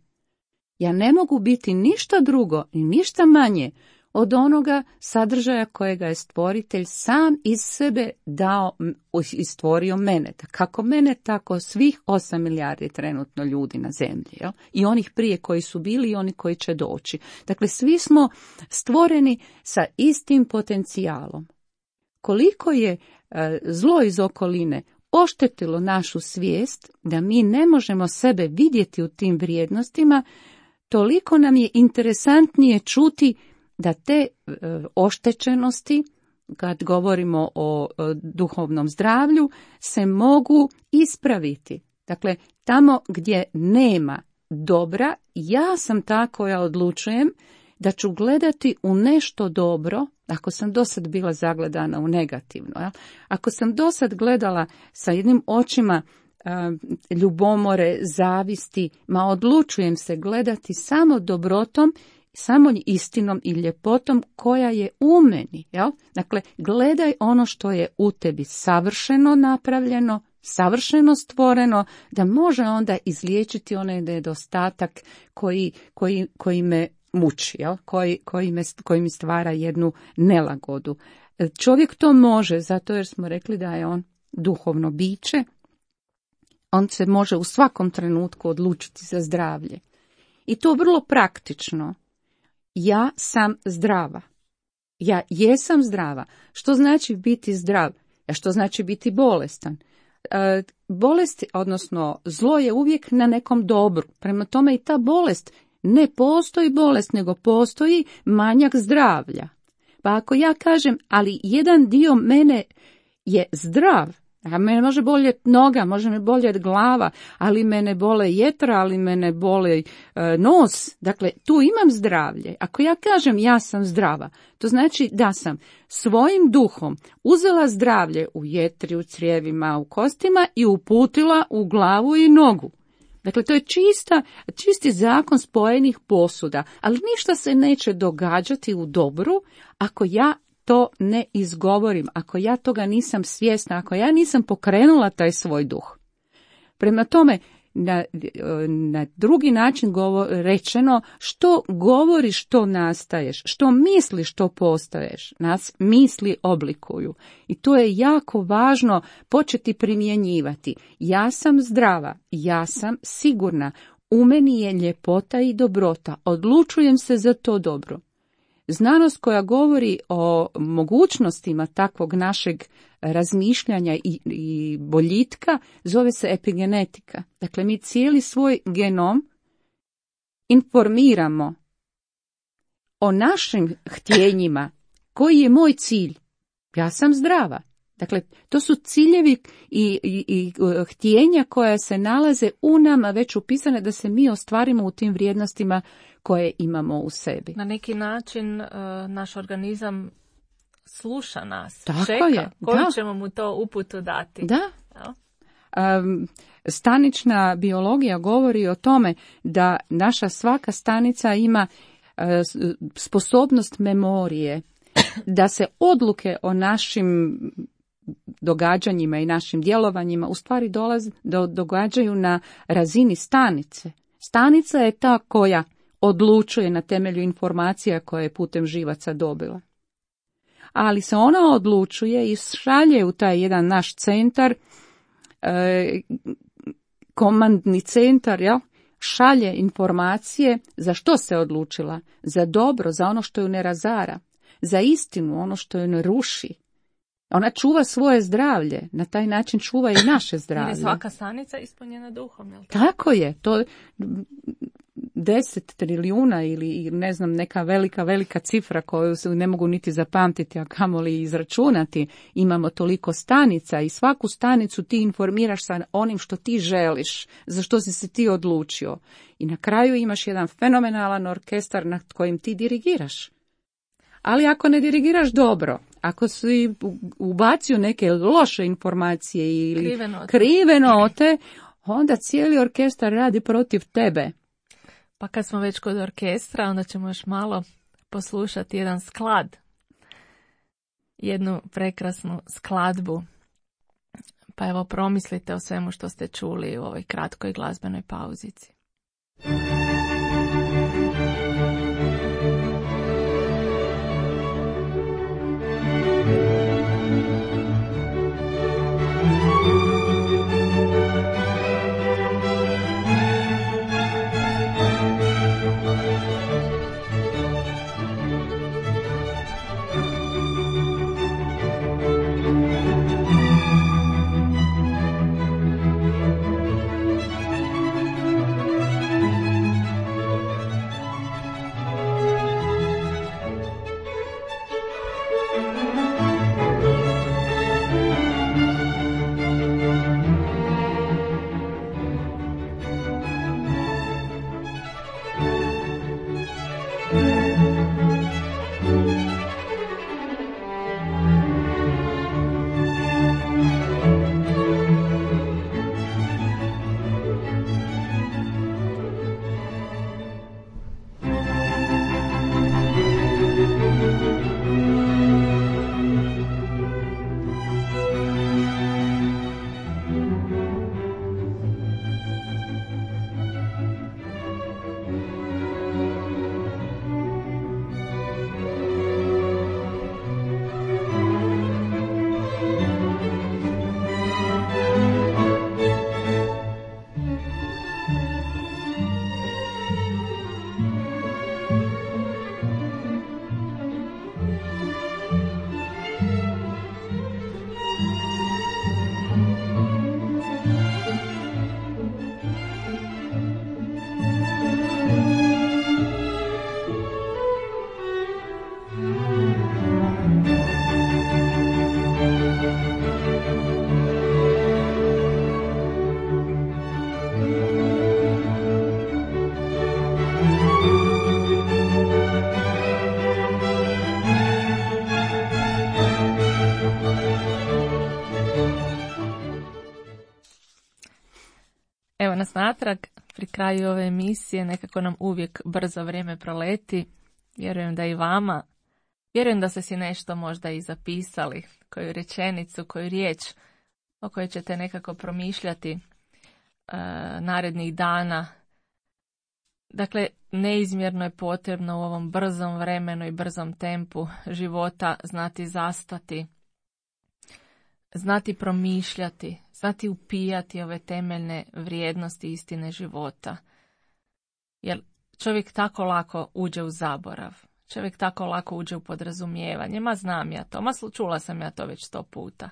Ja ne mogu biti ništa drugo i ništa manje od onoga sadržaja kojega je stvoritelj sam iz sebe dao i stvorio mene. Kako mene, tako svih osam milijardi trenutno ljudi na zemlji. Jel? I onih prije koji su bili i oni koji će doći. Dakle, svi smo stvoreni sa istim potencijalom. Koliko je e, zlo iz okoline oštetilo našu svijest da mi ne možemo sebe vidjeti u tim vrijednostima, toliko nam je interesantnije čuti da te e, oštećenosti, kad govorimo o, o duhovnom zdravlju, se mogu ispraviti. Dakle, tamo gdje nema dobra, ja sam ta koja odlučujem da ću gledati u nešto dobro, ako sam dosad bila zagledana u negativno. Ja? Ako sam dosad gledala sa jednim očima a, ljubomore, zavisti, ma odlučujem se gledati samo dobrotom, samo istinom i ljepotom koja je u meni. Jel? Dakle, gledaj ono što je u tebi savršeno napravljeno, savršeno stvoreno, da može onda izliječiti onaj nedostatak koji, koji, koji me muči, jel? Koji, koji, me, koji mi stvara jednu nelagodu. Čovjek to može, zato jer smo rekli da je on duhovno biće. On se može u svakom trenutku odlučiti za zdravlje. I to vrlo praktično. Ja sam zdrava. Ja jesam zdrava. Što znači biti zdrav? A što znači biti bolestan? E, bolest, odnosno zlo je uvijek na nekom dobru. Prema tome i ta bolest, ne postoji bolest, nego postoji manjak zdravlja. Pa ako ja kažem, ali jedan dio mene je zdrav, a mene može boljeti noga, može me boljeti glava, ali mene bole jetra, ali mene bole e, nos. Dakle, tu imam zdravlje. Ako ja kažem ja sam zdrava, to znači da sam svojim duhom uzela zdravlje u jetri, u crijevima, u kostima i uputila u glavu i nogu. Dakle, to je čista, čisti zakon spojenih posuda, ali ništa se neće događati u dobru ako ja to ne izgovorim, ako ja toga nisam svjesna, ako ja nisam pokrenula taj svoj duh. Prema tome, na, na drugi način govor, rečeno, što govoriš, što nastaješ, što misliš, što postaješ, nas misli oblikuju. I to je jako važno početi primjenjivati. Ja sam zdrava, ja sam sigurna, u meni je ljepota i dobrota, odlučujem se za to dobro. Znanost koja govori o mogućnostima takvog našeg razmišljanja i, i boljitka zove se epigenetika. Dakle, mi cijeli svoj genom informiramo o našim htjenjima. Koji je moj cilj? Ja sam zdrava. Dakle, to su ciljevi i, i, i htjenja koja se nalaze u nama već upisane da se mi ostvarimo u tim vrijednostima koje imamo u sebi. Na neki način uh, naš organizam sluša nas, Tako čeka je, koju da. ćemo mu to uputu dati. Da. Um, stanična biologija govori o tome da naša svaka stanica ima uh, sposobnost memorije, da se odluke o našim događanjima i našim djelovanjima u stvari dolaze, do, događaju na razini stanice. Stanica je ta koja odlučuje na temelju informacija koje je putem živaca dobila. Ali se ona odlučuje i šalje u taj jedan naš centar, e, komandni centar, jel? Šalje informacije za što se odlučila, za dobro, za ono što ju ne razara, za istinu, ono što ju ne ruši. Ona čuva svoje zdravlje, na taj način čuva i naše zdravlje. Jer je svaka stanica ispunjena duhom, jel' tako? Tako je, to deset trilijuna ili, ili ne znam neka velika, velika cifra koju se ne mogu niti zapamtiti, a kamoli izračunati. Imamo toliko stanica i svaku stanicu ti informiraš sa onim što ti želiš, za što si se ti odlučio. I na kraju imaš jedan fenomenalan orkestar nad kojim ti dirigiraš. Ali ako ne dirigiraš dobro, ako si ubacio neke loše informacije ili krive note, krive note onda cijeli orkestar radi protiv tebe. Pa kad smo već kod orkestra, onda ćemo još malo poslušati jedan sklad. Jednu prekrasnu skladbu. Pa evo promislite o svemu što ste čuli u ovoj kratkoj glazbenoj pauzici. Evo nas natrag, pri kraju ove emisije, nekako nam uvijek brzo vrijeme proleti. Vjerujem da i vama. Vjerujem da ste si nešto možda i zapisali, koju rečenicu, koju riječ o kojoj ćete nekako promišljati e, narednih dana. Dakle, neizmjerno je potrebno u ovom brzom vremenu i brzom tempu života znati zastati, znati promišljati, znati upijati ove temeljne vrijednosti istine života. Jer čovjek tako lako uđe u zaborav, čovjek tako lako uđe u podrazumijevanje. Ma znam ja to, ma čula sam ja to već sto puta.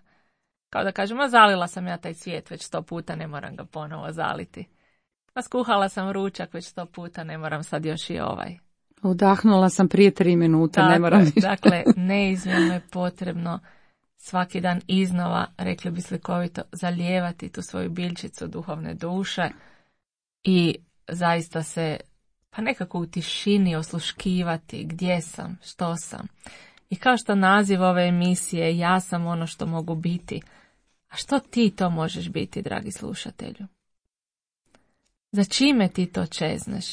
Kao da kažem, ma zalila sam ja taj cvijet već sto puta, ne moram ga ponovo zaliti. Ma skuhala sam ručak već sto puta, ne moram sad još i ovaj. Udahnula sam prije tri minute, dakle, ne moram. Dakle, neizmjerno je potrebno svaki dan iznova, rekli bi slikovito, zalijevati tu svoju biljčicu duhovne duše i zaista se pa nekako u tišini osluškivati gdje sam, što sam. I kao što naziv ove emisije, ja sam ono što mogu biti. A što ti to možeš biti, dragi slušatelju? Za čime ti to čezneš?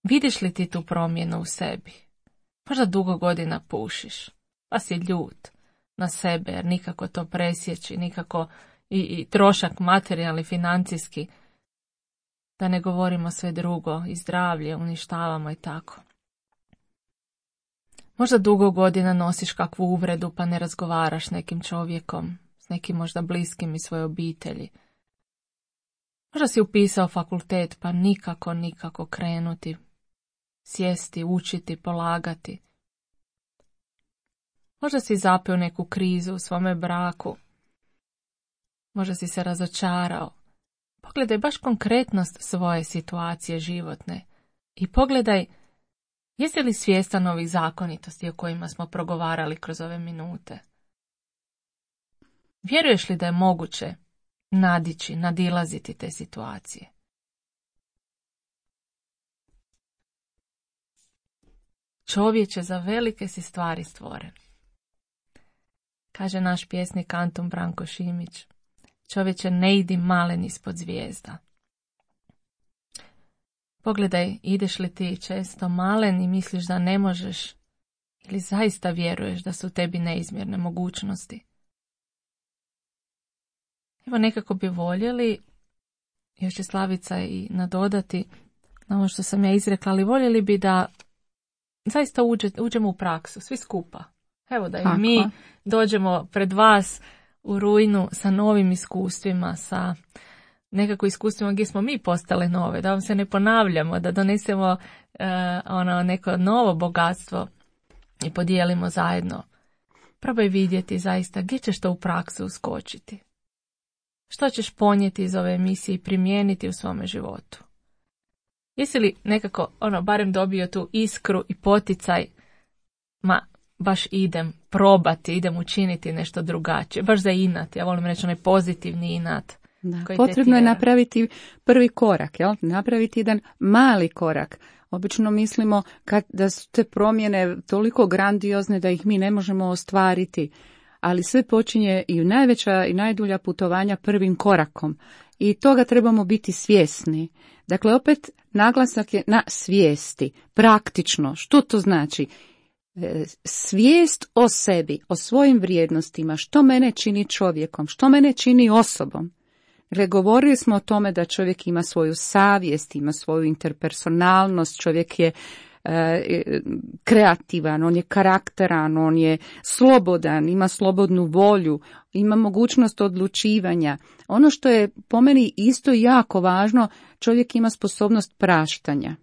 Vidiš li ti tu promjenu u sebi? Možda dugo godina pušiš, pa si ljut na sebe, jer nikako to presjeći, nikako i, i trošak materijalni, financijski, da ne govorimo sve drugo, i zdravlje uništavamo i tako. Možda dugo godina nosiš kakvu uvredu pa ne razgovaraš s nekim čovjekom, s nekim možda bliskim iz svoje obitelji. Možda si upisao fakultet pa nikako, nikako krenuti, sjesti, učiti, polagati. Možda si zapeo neku krizu u svome braku. Možda si se razočarao. Pogledaj baš konkretnost svoje situacije životne. I pogledaj, jesi li svjestan ovih zakonitosti o kojima smo progovarali kroz ove minute? Vjeruješ li da je moguće nadići, nadilaziti te situacije? Čovječe, za velike si stvari stvoren. Kaže naš pjesnik Antun Branko Šimić, čovječe, ne idi malen ispod zvijezda. Pogledaj, ideš li ti često malen i misliš da ne možeš, ili zaista vjeruješ da su tebi neizmjerne mogućnosti? Evo, nekako bi voljeli, još će Slavica i nadodati na ovo što sam ja izrekla, ali voljeli bi da zaista uđe, uđemo u praksu, svi skupa. Evo da i Tako. mi dođemo pred vas u rujnu sa novim iskustvima, sa nekako iskustvima gdje smo mi postale nove, da vam se ne ponavljamo, da donesemo uh, ono neko novo bogatstvo i podijelimo zajedno. Probaj vidjeti zaista gdje ćeš to u praksu uskočiti. Što ćeš ponijeti iz ove emisije i primijeniti u svome životu? Jesi li nekako, ono, barem dobio tu iskru i poticaj, ma, baš idem probati, idem učiniti nešto drugačije, baš za inat, ja volim reći onaj pozitivni inat. Da, potrebno je napraviti prvi korak, jel? Napraviti jedan mali korak. Obično mislimo kad, da su te promjene toliko grandiozne da ih mi ne možemo ostvariti, ali sve počinje i najveća i najdulja putovanja prvim korakom. I toga trebamo biti svjesni. Dakle, opet naglasak je na svijesti, praktično. Što to znači? Svijest o sebi, o svojim vrijednostima, što mene čini čovjekom, što mene čini osobom. Dakle, govorili smo o tome da čovjek ima svoju savjest, ima svoju interpersonalnost, čovjek je e, kreativan, on je karakteran, on je slobodan, ima slobodnu volju, ima mogućnost odlučivanja. Ono što je po meni isto jako važno, čovjek ima sposobnost praštanja.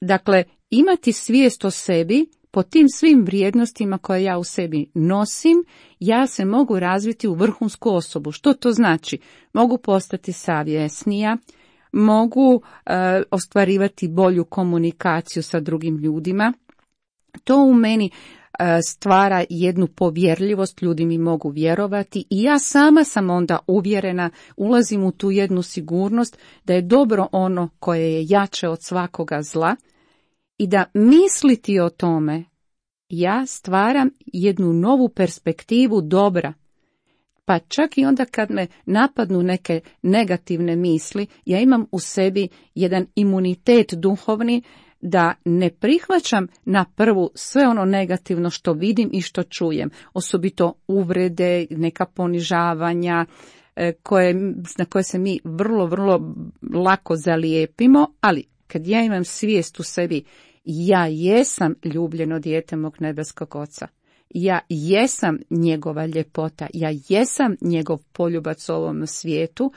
Dakle, imati svijest o sebi, po tim svim vrijednostima koje ja u sebi nosim, ja se mogu razviti u vrhunsku osobu. Što to znači? Mogu postati savjesnija, mogu e, ostvarivati bolju komunikaciju sa drugim ljudima. To u meni e, stvara jednu povjerljivost, ljudi mi mogu vjerovati i ja sama sam onda uvjerena, ulazim u tu jednu sigurnost da je dobro ono koje je jače od svakoga zla, i da misliti o tome, ja stvaram jednu novu perspektivu dobra. Pa čak i onda kad me napadnu neke negativne misli, ja imam u sebi jedan imunitet duhovni da ne prihvaćam na prvu sve ono negativno što vidim i što čujem. Osobito uvrede, neka ponižavanja, koje, na koje se mi vrlo, vrlo lako zalijepimo, ali kad ja imam svijest u sebi, ja jesam ljubljeno dijete mog nebeskog Oca. Ja jesam njegova ljepota, ja jesam njegov poljubac u ovom svijetu.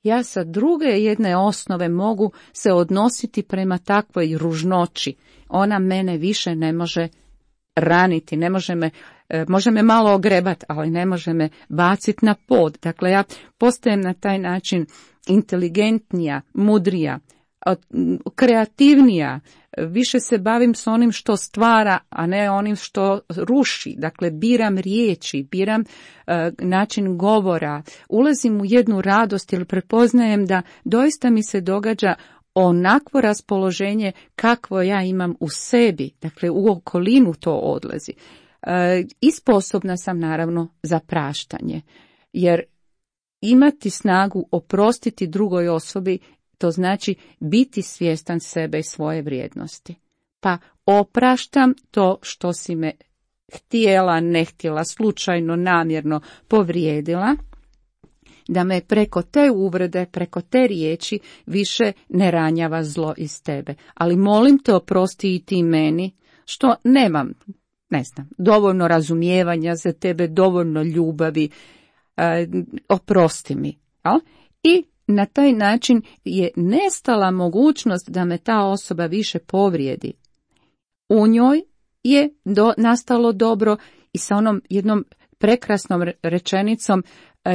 Ja sa druge jedne osnove mogu se odnositi prema takvoj ružnoći. Ona mene više ne može raniti, ne može me, može me malo ogrebati, ali ne može me baciti na pod. Dakle, ja postajem na taj način inteligentnija, mudrija, kreativnija, više se bavim s onim što stvara, a ne onim što ruši. Dakle, biram riječi, biram uh, način govora, ulazim u jednu radost jer prepoznajem da doista mi se događa onakvo raspoloženje kakvo ja imam u sebi, dakle u okolinu to odlazi. Uh, I sposobna sam naravno za praštanje, jer imati snagu oprostiti drugoj osobi, to znači biti svjestan sebe i svoje vrijednosti. Pa opraštam to što si me htjela, ne htjela, slučajno, namjerno povrijedila, da me preko te uvrede, preko te riječi više ne ranjava zlo iz tebe. Ali molim te, oprosti i ti meni, što nemam, ne znam, dovoljno razumijevanja za tebe, dovoljno ljubavi, e, oprosti mi. Jel? I na taj način je nestala mogućnost da me ta osoba više povrijedi. U njoj je do, nastalo dobro i sa onom jednom prekrasnom rečenicom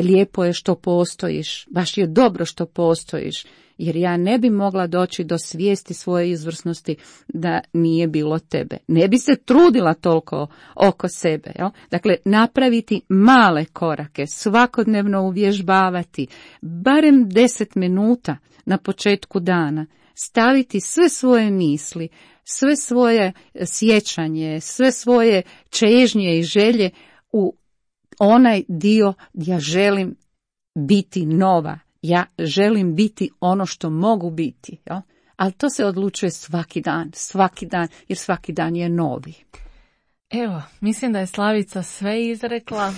lijepo je što postojiš, baš je dobro što postojiš, jer ja ne bi mogla doći do svijesti svoje izvrsnosti da nije bilo tebe. Ne bi se trudila toliko oko sebe. Jel? Dakle, napraviti male korake, svakodnevno uvježbavati, barem deset minuta na početku dana, staviti sve svoje misli, sve svoje sjećanje, sve svoje čežnje i želje u onaj dio gdje ja želim biti nova. Ja želim biti ono što mogu biti. Jel? Ali to se odlučuje svaki dan, svaki dan, jer svaki dan je novi. Evo, mislim da je Slavica sve izrekla.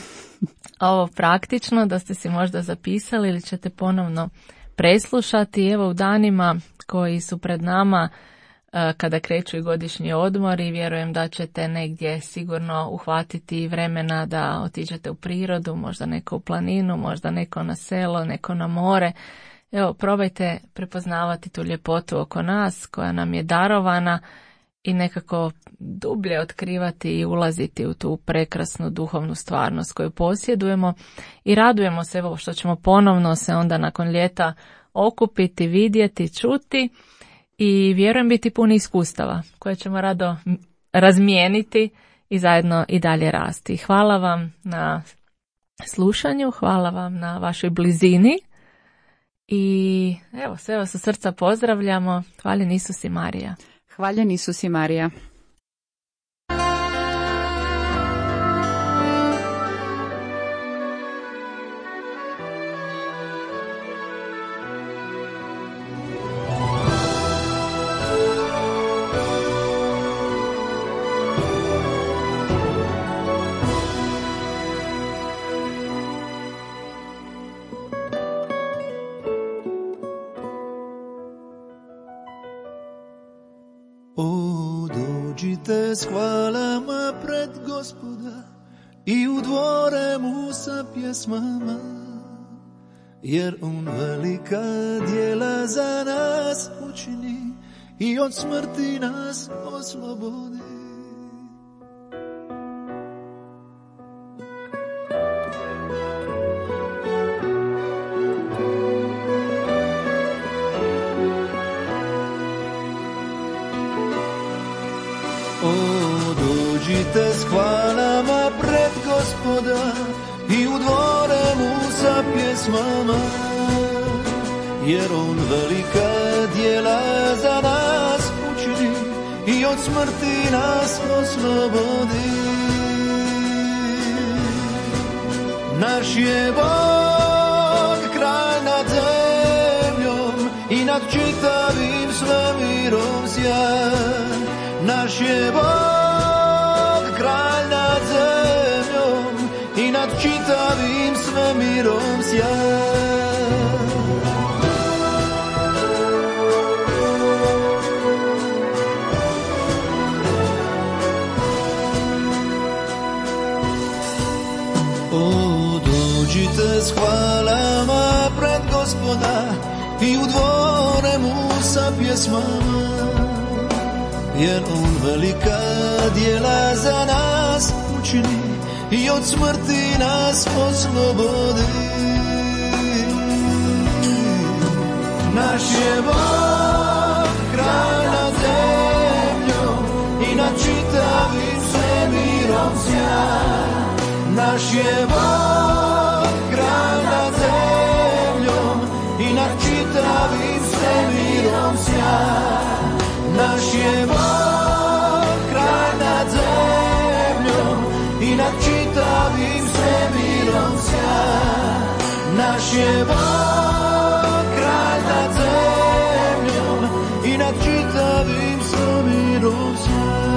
Ovo praktično, da ste si možda zapisali ili ćete ponovno preslušati. Evo, u danima koji su pred nama, kada kreću i godišnji odmori, vjerujem da ćete negdje sigurno uhvatiti vremena da otiđete u prirodu, možda neko u planinu, možda neko na selo, neko na more. Evo, probajte prepoznavati tu ljepotu oko nas koja nam je darovana i nekako dublje otkrivati i ulaziti u tu prekrasnu duhovnu stvarnost koju posjedujemo i radujemo se evo što ćemo ponovno se onda nakon ljeta okupiti, vidjeti, čuti i vjerujem biti puni iskustava koje ćemo rado razmijeniti i zajedno i dalje rasti. Hvala vam na slušanju, hvala vam na vašoj blizini i evo sve vas sa srca pozdravljamo. Hvaljen Isus i Marija. Hvaljen Isus i Marija. Dođite s hvalama pred Gospoda i u dvore mu sa pjesmama, jer on velika djela za nas učini i od smrti nas oslobodi. Dođite s hvalama pred Gospoda i u dvore mu sa pjesmama, jer on velika djela za nas učini i od smrti nas oslobodi. Naš je Bog kralj nad zemljom i nad čitavim svemirom sjajan. Naš je Bog kralj nad zemljom i nad čitavim svemirom sjajan. O, dođite s hvalama pred Gospoda i u dvore mu sa pjesmama, jer on velika djela za nas učini i od smrti nas oslobodi. Naš je Bog kralj nad zemljom i nad čitavim svemirom sjajan. Naš je Bog kralj nad zemljom i nad čitavim svemirom sjajan. Naš je Bog kralj nad zemljom i nad čitavim svemirom sjajan. Naš je Bog kralj nad zemljom i nad čitavim svemirom sjajan.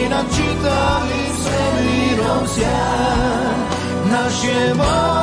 i nad čitavim svemirom sjaj. Naš je Bog